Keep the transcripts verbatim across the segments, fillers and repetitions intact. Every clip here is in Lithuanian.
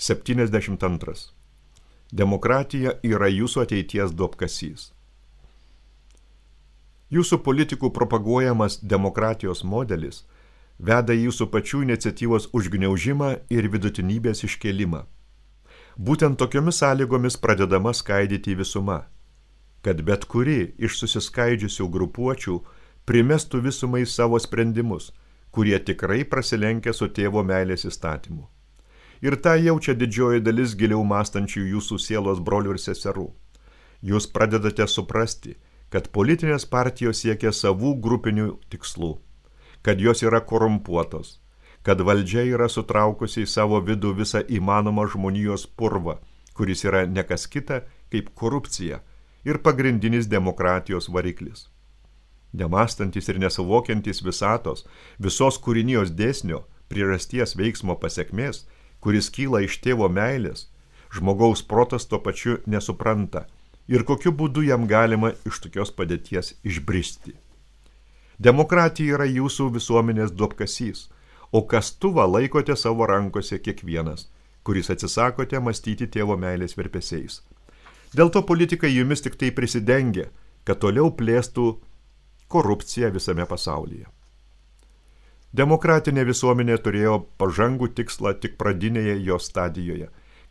septyniasdešimt antras. Demokratija yra jūsų ateities duobkasys. Jūsų politikų propaguojamas demokratijos modelis veda jūsų pačių iniciatyvos užgniaužimą ir vidutinybės iškėlimą. Būtent tokiomis sąlygomis pradedama skaidyti visuma, kad bet kuri iš susiskaidžiusių grupuočių primestų visumai savo sprendimus, kurie tikrai prasilenkia su tėvo meilės įstatymu. Ir tą jaučia didžioji dalis giliau mąstančių jūsų sielos brolių ir seserų. Jūs pradedate suprasti, kad politinės partijos siekia savų grupinių tikslų, kad jos yra korumpuotos, kad valdžia yra sutraukusi į savo vidų visą įmanomą žmonijos purvą, kuris yra ne kas kita kaip korupcija ir pagrindinis demokratijos variklis. Nemąstantis ir nesuvokiantis visatos, visos kūrinijos dėsnio, priežasties veiksmo pasekmės, kuris kyla iš tėvo meilės, žmogaus protas tuo pačiu nesupranta ir kokiu būdu jam galima iš tokios padėties išbristi. Demokratija yra jūsų visuomenės duobkasys, o kastuvą laikote savo rankose kiekvienas, kuris atsisakote mąstyti tėvo meilės virpesiais. Dėl to politikai jumis tik tai prisidengia, kad toliau plėstų korupciją visame pasaulyje. Demokratinė visuomenė turėjo pažangų tikslą tik pradinėje jo stadijoje,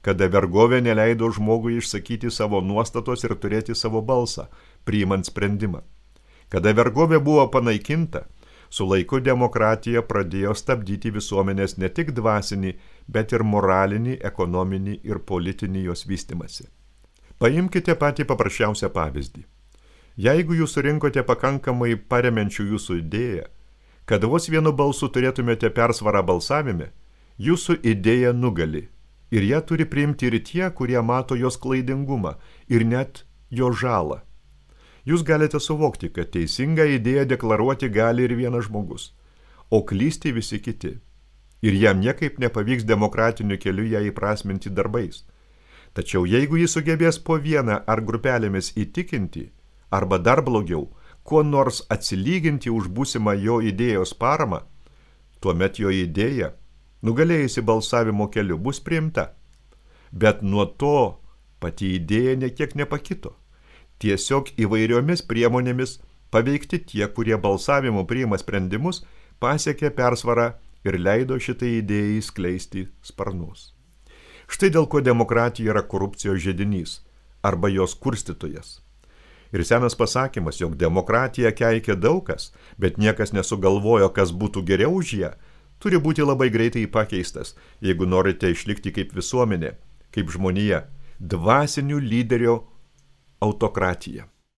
kada vergovė neleido žmogui išsakyti savo nuostatos ir turėti savo balsą, priimant sprendimą. Kada vergovė buvo panaikinta, su laiku demokratija pradėjo stabdyti visuomenės ne tik dvasinį, bet ir moralinį, ekonominį ir politinį jos vystimąsi. Paimkite patį paprasčiausią pavyzdį. Jeigu jūs surinkote pakankamai paremiančių jūsų idėją, kad vos vienu balsu turėtumėte persvarą balsavime, jūsų idėja nugali ir ją turi priimti ir tie, kurie mato jos klaidingumą ir net jo žalą. Jūs galite suvokti, kad teisingą idėją deklaruoti gali ir vienas žmogus, o klysti visi kiti. Ir jam niekaip nepavyks demokratiniu keliu ją įprasminti darbais. Tačiau jeigu jis sugebės po vieną ar grupelėmis įtikinti, arba dar blogiau, kuo nors atsilyginti už būsimą jo idėjos paramą, tuomet jo idėja, nugalėjusi balsavimo keliu, bus priimta. Bet nuo to pati idėja nekiek nepakito. Tiesiog įvairiomis priemonėmis paveikti tie, kurie balsavimu priima sprendimus, pasiekė persvarą ir leido šitai idėjai skleisti sparnus. Štai dėl ko demokratija yra korupcijos židinys arba jos kurstytojas. Ir senas pasakymas, jog demokratija keikia daug kas, bet niekas nesugalvojo, kas būtų geriau už ją, turi būti labai greitai pakeistas, jeigu norite išlikti kaip visuomenė, kaip žmonija, dvasinių lyderio autokratija.